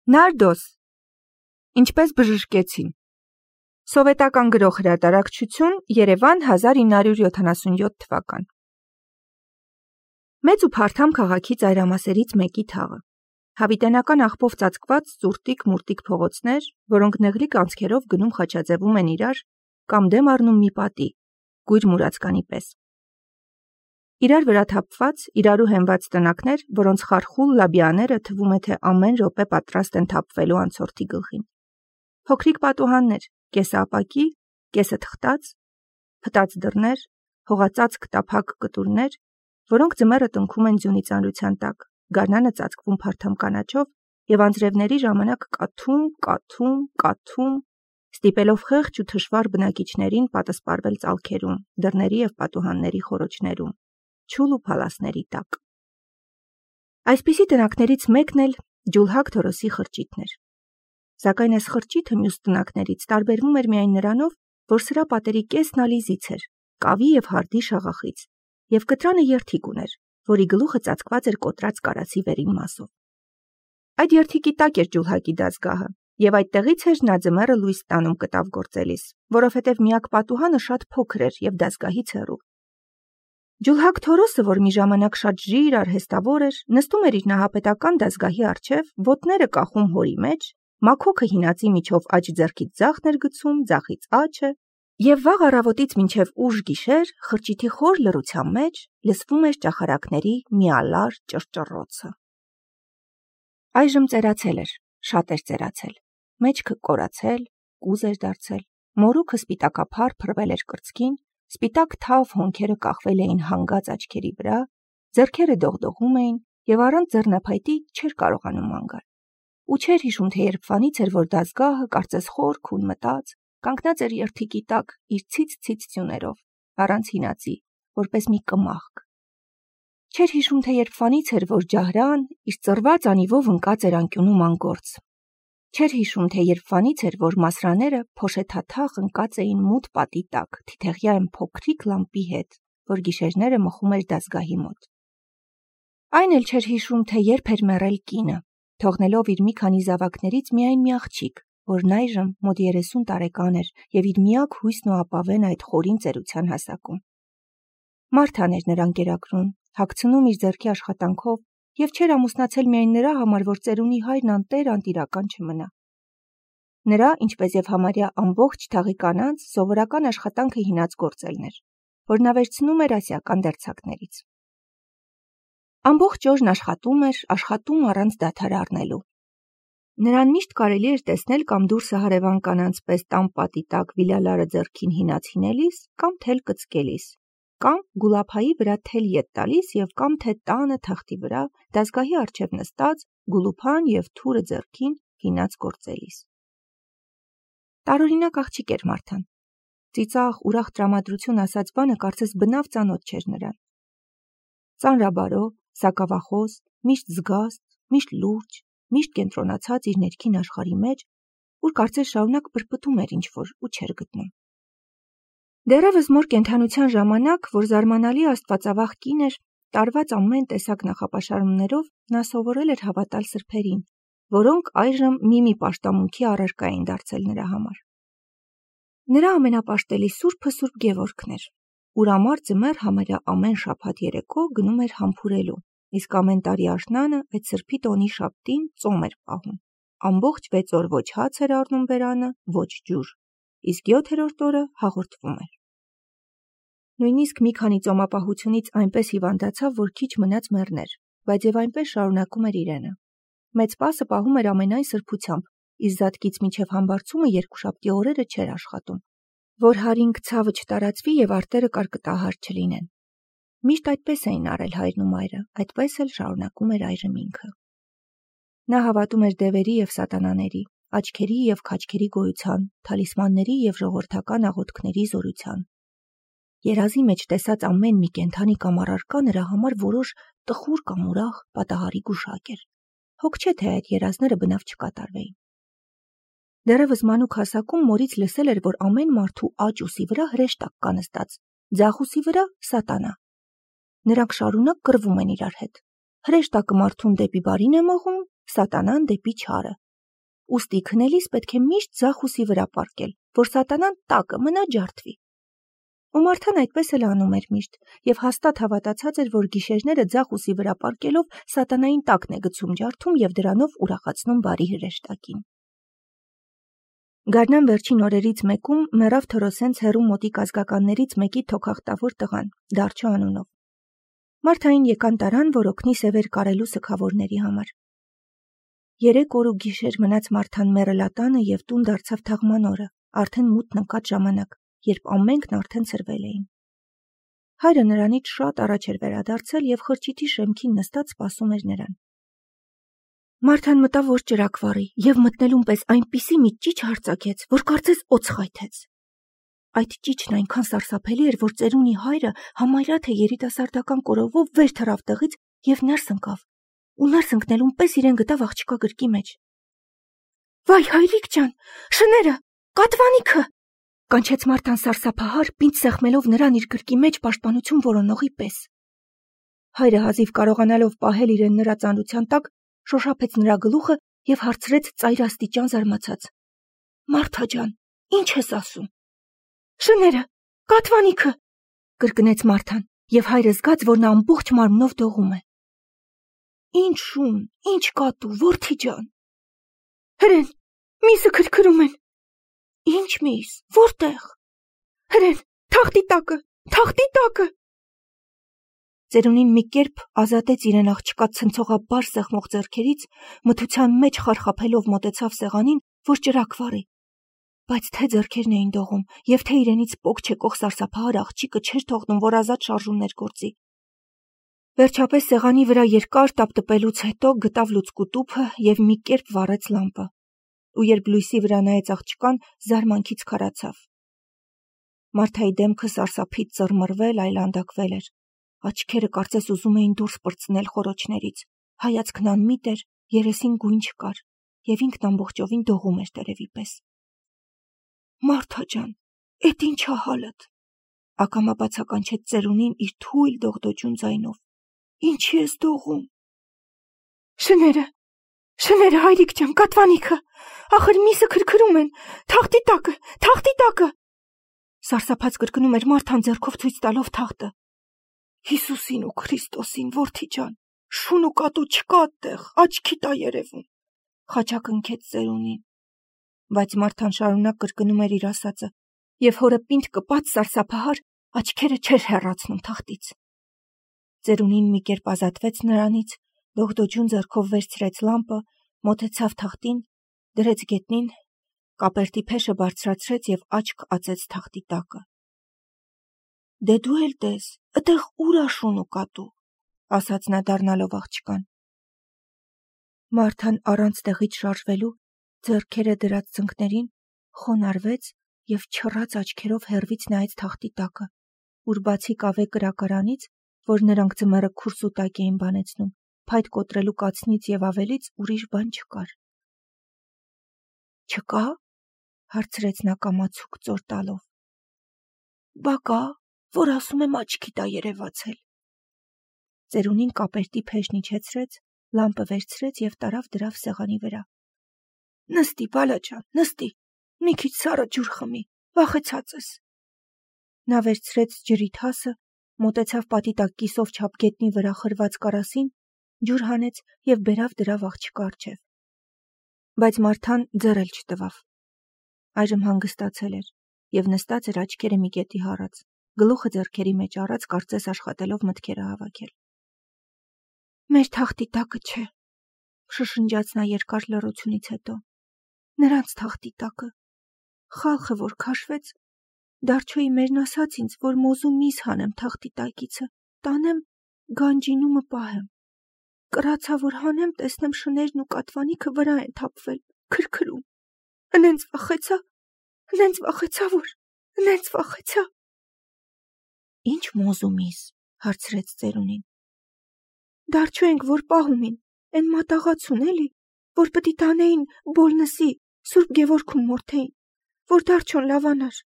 Նարդոս, ինչպես բժշկեցին։ Սովետական գրող հրատարակչություն, Երևան, 1977 թվական։ Մեծ ու փարթամ քաղաքի ծայրամասերից մեկի թաղը։ Հավիտենական աղբով ծածկված ծուրտիկ-մուրտիկ փողոցներ, որոնք նեղլիկ անցքերով գնում խաչաձևում են իրար կամ դեմ առնում մի պատի, գույր մուրացկանի պես։ Իրար վրա թափված, իրարու հենված տնակներ, որոնց խարխուլ լաբիաները թվում է, թե ամեն րոպե պատրաստ են թափվելու անցորդի գլխին։ Փոքրիկ պատուհաններ, կեսը ապակի, կեսը թղթած, փտած դռներ, հողածածկ տափակ կտուրներ, որոնք ձմեռը տնքում են ձյունի ծանրության տակ, գարնանը ծածկվում փարթամ կանաչով և անձրևների ժամանակ կաթում, ստիպելով խեղճ ու թշվառ բնակիչներին պատսպարվել ծալքերում, դռների և պատուհանների խոռոչներում, չուլ ու փալասների տակ։ Այսպիսի տնակներից մեկն էլ Ջուլհակ Թորոսի խրճիթն էր։ Սակայն այս խրճիթը մյուս տնակներից տարբերվում էր միայն նրանով, որ սրա պատերի կեսն ալիզից էր, կավի և հարդի շաղախից, և կտրանը երթիկ ուներ, որի գլուխը ծածկված էր կոտրած կարասի վերին մասով։ Այդ երթիկի տակ էր Ջուլհակի դաստգահը, և այդտեղից էր նա ձմեռը լույս ստանում կտավ գործելիս, որովհետև միակ պատուհանը շատ փոքր էր և դաստգահից հեռու։ Ջուլհակ Թորոսը, որ մի ժամանակ շատ ժիր արհեստավոր էր, նստում էր իր նահապետական դաստգահի առջև, ոտները կախում հորի մեջ, մաքոքը հինածի միջով աջ ձեռքից ձախն էր գցում, ձախից աջը, և վաղ առավոտից մինչև ուշ գիշեր խրճիթի խոր լռության մեջ լսվում էր ճախարակների միալար ճռճռոցը։ Այժմ ծերացել էր, շատ էր ծերացել, մեջքը կորացել, կուզ էր դարձել, մորուքը սպիտակափար փռվել էր կրծքին, սպիտակ թավ հոնքերը կախվել էին հանգած աչքերի վրա, ձեռքերը դողդողում էին և առանց ձեռնափայտի չէր կարողանում ման գալ։ Ու չէր հիշում, թե երբվանից էր, որ դաստգահը, կարծես խոր քուն մտած, կանգնած էր երթիկի տակ իր ցից ձյուներով, առանց հինածի, որպես մի կմախք։ Չէր հիշում, թե երբվանից էր, որ ջահրան իր ծռված անիվով ընկած էր անկյունում անգործ։ Չէր հիշում, թե երբվանից էր, որ մասրաները փոշեթաթախ ընկած էին մութ պատի տակ, թիթեղյա այն փոքրիկ լամպի հետ, որ գիշերները մխում էր դաստգահի մոտ։ Այն էլ չէր հիշում, թե երբ էր մեռել կինը, թողնելով իր մի քանի զավակներից միայն մի աղջիկ, որն այժմ մոտ 30 տարեկան էր և իր միակ հույսն ու ապավենը այդ խորին ծերության հասակում։ Մարթան էր նրան կերակրում, հագցնում իր ձեռքի աշխատանքով և չէր ամուսնացել միայն նրա համար, որ ծերունի հայրն անտեր անտիրական չմնա։ Նրա, ինչպես և համարյա ամբողջ թաղի կանանց, սովորական աշխատանքը հինած գործելն էր, որ նա վերցնում էր ասիական դերձակներից։ Ամբողջ օրն աշխատում առանց դադար առնելու։ Նրան միշտ կարելի էր տեսնել կամ դուրսը հարևան կանանց պես տան պատի տակ վիլալարը ձեռքին հինած հինելիս, կամ թել կծկելիս, կամ գուլափայի վրա թել ետ տալիս և կամ թե տանը թղթի վրա դաստգահի առջև նստած գուլուփան և թուրը ձեռքին հինած գործելիս։ Տարօրինակ աղջիկ էր Մարթան։ Ծիծաղ, ուրախ տրամադրություն ասած բանը կարծես բնավ ծանոթ չէր նրան։ Ծանրաբարո, սակավախոս, միշտ զգաստ, միշտ լուրջ, միշտ կենտրոնացած իր ներքին աշխարհի մեջ, ուր կարծես շարունակ պրպտում էր ինչ-որ ու չէր գտնում։ Դեռևս մոր կենդանության ժամանակ, որ զարմանալի աստվածավախ կին էր, տարված ամեն տեսակ նախապաշարումներով, նա սովորել էր հավատալ սրբերին, որոնք այժմ մի պաշտամունքի առարկա էին դարձել նրա համար։ Նրա ամենապաշտելի սուրբը Սուրբ Գևորգն էր, ուր ամառ ձմեռ համարյա ամեն շաբաթ երեկո գնում էր համբուրելու, իսկ ամեն տարի աշնանը այդ սրբի տոնի շաբթին ծոմ էր պահում, ամբողջ 6 օր ոչ հաց էր առնում բերանը, ոչ ջուր, իսկ 7-րդ օրը հաղորդվում էր։ Նույնիսկ մի քանի ծոմապահությունից այնպես հիվանդացավ, որ քիչ մնաց մեռներ, բայց և այնպես շարունակում էր իրենը։ Մեծ պասը պահում էր ամենայն սրբությամբ, իսկ զատկից մինչև համբարձումը երկուշաբթի օրերը չէր աշխատում, որ հարինգ ցավը չտարածվի և արտերը կարկտահար չլինեն։ Միշտ այդպես էին արել հայրն ու մայրը, այդպես էլ շարունակում էր այժմ ինքը։ Նա հավատում էր դևերի և սատանաների, աչքերի և քաչքերի գոյության, թալիսմանների և ժողովրդական աղոթքների զորության։ Երազի մեջ տեսած ամեն մի կենդանի կամ առարկա նրա համար որոշ տխուր կամ ուրախ պատահարի գուշակ էր։ Հոգ չէ, թե այդ երազները բնավ չկատարվեին։ Դեռևս մանուկ հասակում մորից լսել էր, որ ամեն մարդու աջ ուսի վրա հրեշտակ կա նստած, ձախ ուսի վրա սատանա։ Նրանք շարունակ կռվում են իրար հետ։ Հրեշտակը մարդուն դեպի բարին է մղում, սատանան դեպի չարը, ուստի քնելիս պետք է միշտ ձախ ուսի վրա պառկել, որ սատանան տակը մնա ջարդվի։ Ու Մարթան այդպես էլ անում էր միշտ, եւ հաստատ հավատացած էր, որ գիշերները ձախ ուսի վրա պառկելով սատանային տակն է գցում ջարդում եւ դրանով ուրախացնում բարի հրեշտակին։ Գարնան վերջին օրերից մեկում մեռավ Թորոսենց հեռու մոտիկ ազգականներից մեկի թոքախտավոր տղան, Դարչո անունով։ Մարթային եկան տարան, որ օգնի սևեր կարելու սգավորների համար։ 3 օր ու գիշեր մնաց Մարթան մեռելատանը եւ տուն դարձավ թաղման օրը, արդեն մութն ընկած ժամանակ, երբ ամենքն արդեն սրվել էին։ Հայրը նրանից շատ առաջ էր վերադարձել եւ խրճիթի շեմքին նստած սպասում էր նրան։ Մարթան մտավ որ ճրակ վառի եւ մտնելուն պես այնպիսի մի ճիչ հարձակեց, որ կարծես օձ խայթեց։ Այդ ճիչն այնքան սարսափելի էր, որ ծերունի հայրը համարյա թե երիտասարդական կորովով վեր թռավ տեղից եւ ներս ընկավ։ Ու ներս ընկնելուն պես իրեն գտավ աղջկա գրկի մեջ։ Վայ հայրիկ ջան, շները, կատվանիքը, կանչեց Մարթան սարսափահար, պինդ սեղմելով նրան իր գրկի մեջ պաշտպանություն որոնողի պես։ Հայրը հազիվ կարողանալով պահել իրեն նրա ծանրության տակ, շոշափեց նրա գլուխը եւ հարցրեց ծայրաստիճան զարմացած. Մարթա ջան, ինչ ես ասում։ Շները, կատվանիքը, կրկնեց Մարթան, եւ հայրը զգաց, որ նա ամբողջ մարմնով դողում է։ Ինչ շուն, ինչ կատու, որդի ջան։ Հրեն, միսը քրքրում են։ Ինչ միս, որտեղ։ Հրեն, թախտի տակը։ Ծերունին մի կերպ ազատեց իրեն աղջկա ցնցողաբար սեղմող ձեռքերից, մթության մեջ խարխափելով մոտեցավ սեղանին, որ ճրակ վառի։ Բայց թե ձեռքերն էին դողում, եւ թե իրենից պոկ չեկող սարսափահար աղջիկը չէր թողնում, որ ազատ շարժումներ գործի։ Վերջապես սեղանի վրա երկար տապտպելուց հետո գտավ լուցկու տուփը եւ մի կերպ վառեց լամպը։ Ու երբ լույսի վրա նայեց աղջկան, զարմանքից քարացավ։ Մարթայի դեմքը սարսափից ծռմռվել, այլանդակվել էր։ Աչքերը կարծես ուզում էին դուրս պրծնել խորոչներից, հայացքն անմիտ էր, երեսին գույն չկար, եւ ինքն ամբողջովին դողում էր տերևի պես։ Մարթա ջան, էդ ինչ ա հալդ, ակամա բացականչեց ծերունին իր թույլ դողդոջուն ձայնով։ Ինչի ես դողում։ Շները, հայրիկ ջան, կատվանիքը, ախր միսը քրքրում են, թախտի տակը։ Սարսափած կրկնում էր Մարթան ձեռքով ցույց տալով թախտը։ Հիսուսին ու Քրիստոսին, որդի ջան, շուն ու կատու չկա այդտեղ, աչքի տա երևում, խաչակ ընկեց ծերունին։ Բայց Մարթան շարունակ կրկնում էր իր ասածը, եւ հորը պինդ կպած սարսափահար աչքերը չէր հեռացնում թախտից։ Ծերունին մի կերպ ազատվեց նրանից, դողդոջուն ձեռքով վերցրեց լամպը, մոտեցավ թախտին, դրեց գետնին, կապերտի փեշը բարձրացրեց եւ աչք ածեց թախտի տակը։ Դե դու էլ տես, այդտեղ ուր ա շուն ու կատու, ասաց նա դառնալով աղջկան։ Մարթան առանց տեղից շարժվելու, ձեռքերը դրած ծնկներին, խոնարհվեց եւ չռած աչքերով հեռվից նայեց թախտի տակը, ուր բացի կավե կրակարանից, որ նրանք ձմեռը քուրս ու տակ էին բանեցնում, փայտ կոտրելու կացնից եւ ավելից ուրիշ բան չկար։ Չկա, հարցրեց նա կամացուկ ծոր տալով։ Բա կա, որ ասում եմ աչքի տա երևացել։ Ծերունին կապերտի փեշն իջեցրեց, լամպը վերցրեց եւ տարավ դրավ սեղանի վրա։ Նստի, բալա ջան, նստի, մի քիչ սառը ջուր խմի, վախեցած ես։ Նա վերցրեց ջրի թասը, մոտեցավ պատի տակ կիսով չափ գետնի վրա խրված կարասին, ջուր հանեց եւ բերավ դրավ աղջկա առջև։ Բայց Մարթան ձեռ էլ չտվավ։ Այժմ հանգստացել էր եւ նստած էր աչքերը մի կետի հառած, գլուխը ձեռքերի մեջ առած, կարծես աշխատելով մտքերը հավաքել։ Մեր թախտի տակը չէ, շշնջաց նա երկար լռությունից հետո։ Նրանց թախտի տակը։ Խալխը որ քաշվեց, Դարչոյի մերն ասաց ինձ, որ մոզու միս հանեմ թախտի տակիցը, տանեմ գանջինումը պահեմ։ Կրացա որ հանեմ, տեսնեմ շներն ու կատվանիքը վրա են թափվել, քրքրում։ Ընենց վախեցա։ Ինչ մոզու միս, հարցրեց ծերունին։ Դարչո ենք որ պահումին, են մատաղացուն էլի, որ պտի տանեին Բոլնսի, Սուրբ Գևորգում մորթեին, որ Դարչոն լավանար։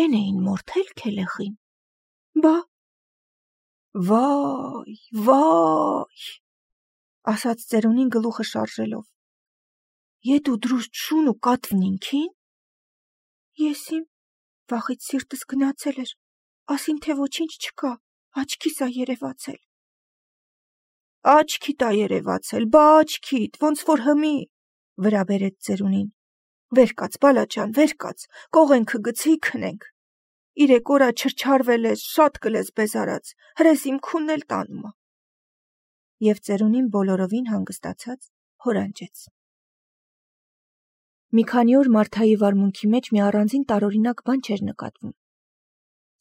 Են էին մորթել քելեխին։ Բա։ Վայ, ասաց ծերունին գլուխը շարժելով։ Ետ ու դրուստ շուն ու կատվնինքին։ Ես իմ վախից սիրտս գնացել էր, ասին թե ոչինչ չկա, աչքիս ա երևացել։ Աչքիդ ա երևացել, բա աչքիդ, ոնց որ հմի, վրա բերեց ծերունին։ Վեր կաց, բալաջան, վեր կաց, կողենքը գցի քնենք։ 3 օր ա չրչարվել ես, շատ կլես բեզարած, հրես իմ քունն էլ տանում ա։ Եվ ծերունին բոլորովին հանգստացած հորանջեց։ Մի քանի օր Մարթայի վարմունքի մեջ մի առանձին տարօրինակ բան չէր նկատվում։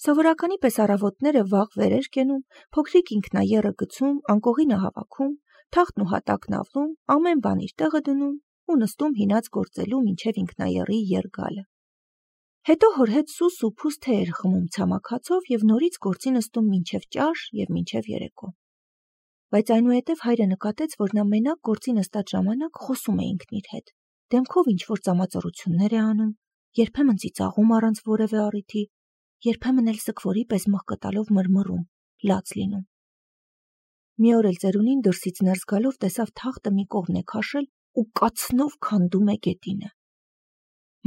Սովորականի պես առավոտները վաղ վեր էր կենում, փոքրիկ ինքնաեռը գցում, անկողինը հավաքում, թախտն ու հատակն ավլում, ամեն բան իր տեղը դնում ու նստում հինած գործելու մինչև ինքնաեռի եռ գալը։ Հետո հոր հետ սուս ու փուս թե էր խմում ցամաքացով և նորից գործի նստում մինչև ճաշ և մինչև երեկո։ Բայց այնուհետև հայրը նկատեց, որ նա մենակ գործի նստած ժամանակ խոսում է ինքն իր հետ, դեմքով ինչ-որ ծամածառություններ է անում, երբեմն ծիծաղում առանց որևէ առիթի, երբեմն էլ սգվորի պես մղկտալով մռմռում, լաց լինում։ Մի օր էլ ծերունին դրսից ներս գալով տեսավ թախտը մի կողմն է քաշել ու կացնով քանդում է գետինը։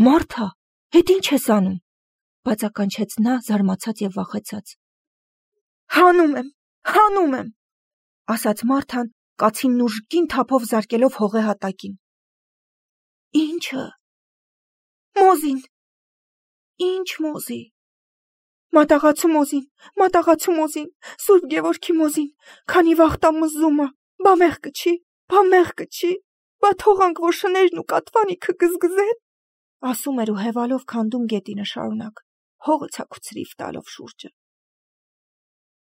Մարթա, հետ ինչ ես անում, բացականչեց նա զարմացած և վախեցած։ Հանում եմ, ասաց Մարթան կացինն ուժգին թափով զարկելով հողե հատակին։ Ինչը։ Մոզին։ Ինչ մոզի։ Մատաղացու մոզին, Սուրբ Գևորգի մոզին, քանի վաղտա մզում ա, բա մեղքը չի, բա թողանք, որ շներն ու կատվանիքը գզգզեն, ասում էր ու հևալով քանդում գետինը շարունակ, հողը ցաքուցրիվ տալով շուրջը։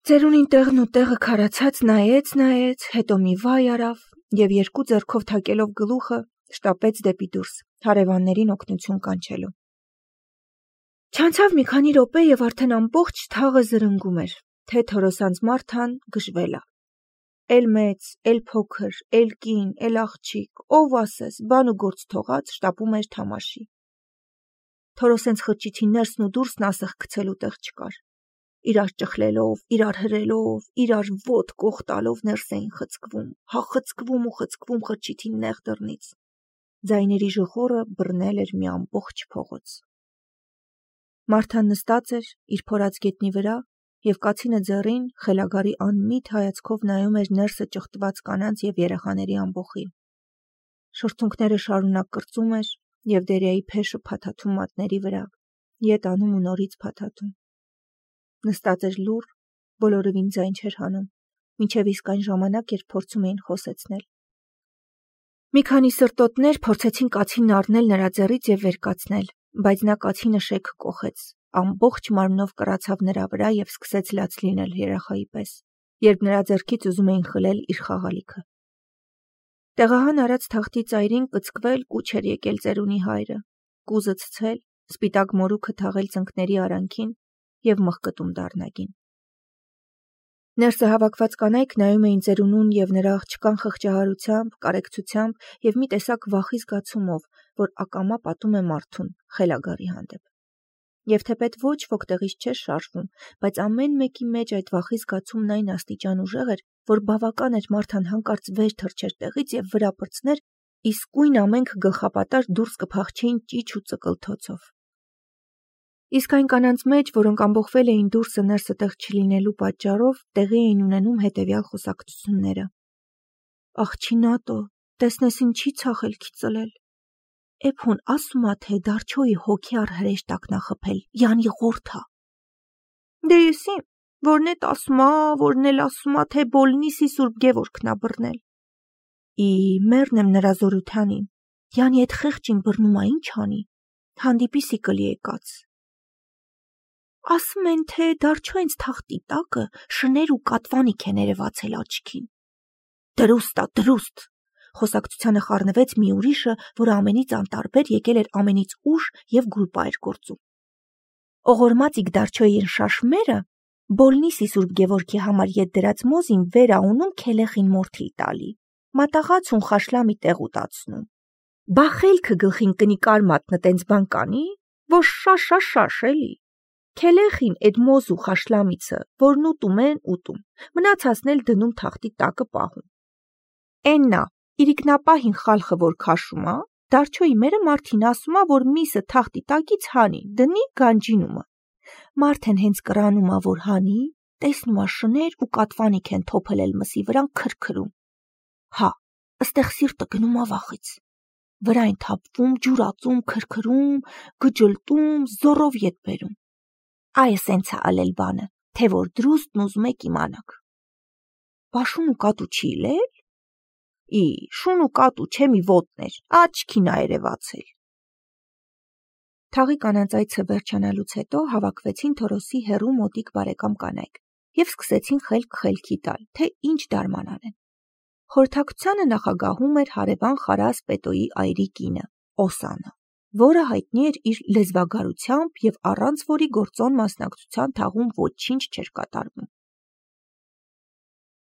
Ծերունին տեղն ու տեղը քարացած նայեց, հետո մի վայ արավ և 2 ձեռքով թակելով գլուխը շտապեց դեպի դուրս, հարևաններին օգնություն կանչելով։ Չանցավ մի քանի րոպե և արդեն ամբողջ թաղը զրնգում էր, թե Թորոսանց Մարթան գժվել ա։ Էլ մեծ, էլ փոքր, էլ կին, էլ աղջիկ, ով ասես, բան ու գործ թողած շտապում էր թամաշի։ Թորոսենց խրճիթի ներսն ու դուրսն ասեղ գցելու տեղ չկար։ Իրար ճխլելով, իրար հրելով, իրար ոտք կողտալով ներս էին խցկվում, խցկվում խրճիթի նեղ դռնից։ Ձայների ժխորը բռնել էր մի ամբողջ փողոց։ Մարթան նստած էր իր փորած գետնի վրա և կացինը ձեռին խելագարի անմիտ հայացքով նայում էր ներսը ճղտված կանանց և երեխաների ամբոխին։ Շրթունքները շարունակ կրծում էր և Դերյայի փեշը փաթաթում մատների վրա, ետ անում ու նորից փաթաթում։ Նստած էր լուռ, բոլորովին ձայն չէր հանում, մինչև իսկ այն ժամանակ, երբ փորձում էին խոսեցնել։ Մի քանի սրտոտներ փորձեցին կացինն առնել նրա ձեռից և վեր կացնել, բայց նա կացինը շեք կոխեց, ամբողջ մարմնով կռացավ նրա վրա և սկսեց լաց լինել երեխայի պես, երբ նրա ձեռքից ուզում էին խլել իր խաղալիքը։ Տեղահան արած թախտի ծայրին կծկվել կուչ էր եկել ծերունի հայրը, կուզը ցցել, սպիտակ մորուքը թաղել ծնկների արանքին և մղկտում դառնագին։ Ներսը հավաքված կանայք նայում էին ծերունուն և նրա աղջկան խղճահարությամբ, կարեկցությամբ և մի տեսակ վախի զգացումով, որ ակամա պատում է մարդուն խելագարի հանդեպ։ Եվ թեպետ ոչ ոք տեղից չէր շարժվում, բայց ամեն մեկի մեջ այդ վախի զգացումն այն աստիճան ուժեղ էր, որ բավական էր Մարթան հանկարծ վեր թռչեր տեղից և վրա պրծներ, իսկույն ամենք գլխապատար դուրս կփախչեին ճիչ ու ծկլթոցով։ Իսկ այն կանանց մեջ, որոնք ամբողվել էին դուրսը ներսը տեղ չլինելու պատճառով, տեղի էին ունենում հետևյալ խոսակցությունները. Աղջինատո, տեսնես ինչի ցախելքի ծլել։ Էփոն ասումա թե դարչոյի հոգյար հրեշտակնա խփել, յանի ղորթա։ Դե եսիմ, որն էտ ասումա, թե բոլնիսի Սուրբ Գևորգն ա բռնել։ Մեռնեմ նրա զորությանին, յանի էտ խեղճին բռնումա ինչ անի, հանդիպիսի կլի եկած։ Ասում են, թե դարչոյենց թախտի տակը շներ ու կատվանիք է ներևացել աչքին։ Դրուստ, խոսակցությանը խառնվեց մի ուրիշը, որ ամենից անտարբեր եկել էր ամենից ուշ և գուլպա էր գործում։ Օղորմածիկ դարչոյին շաշմերը բոլնիսի Սուրբ Գևորգի համար ետ դրած մոզին վեր ա ունում քելեխին մորթիլ տալի, մատաղացուն խաշլամի տեղ ուտացնում։ Բա խելքը գլխին կնի կար մատնը տենց բան կանի, որ շաշ էլի։ Քելեխին էդ մոզ ու խաշլամիցը, որն ուտում են ուտում, մնացածն էլ դնում թախտի տակը պահում։ Էննա, իրիկնապահին խալխը որ քաշում ա, Դարչոյի մերը մարդին ասում ա, որ միսը թախտի տակից հանի, դնի գանջինումը։ Մարդեն հենց կրանում ա, որ հանի, տեսնում ա շներ ու կատվանիք են թոփելել մսի վրան քրքրում։ Հա, ըստեղ սիրտը գնում ա վախից։ Վրային թափվում, ջուրածում, քրքրում, գջլտում, զորով ետ բերում։ Այը սենց ա ալել բանը, թե որ դրուստն ուզում եք իմանաք։ Բա շուն ու կատու չի լել։ Ի, շուն ու կատու չեմի ոտներ, աչքին ա երևացել։ Թաղի կանանց վերջանալուց հետո հավաքվեցին Թորոսի հեռու մոտիկ բարեկամ կանայք և սկսեցին խելք-խելքի տալ, թե ինչ դարման անեն։ Խորհրդակցությանը նախագահում էր հարևան Խարաս Պետոյի այրի կինը, Օսանը, որը հայտնի էր իր լեզվագարությամբ և առանց որի գործոն մասնակցության թաղում ոչինչ չէր կատարվում։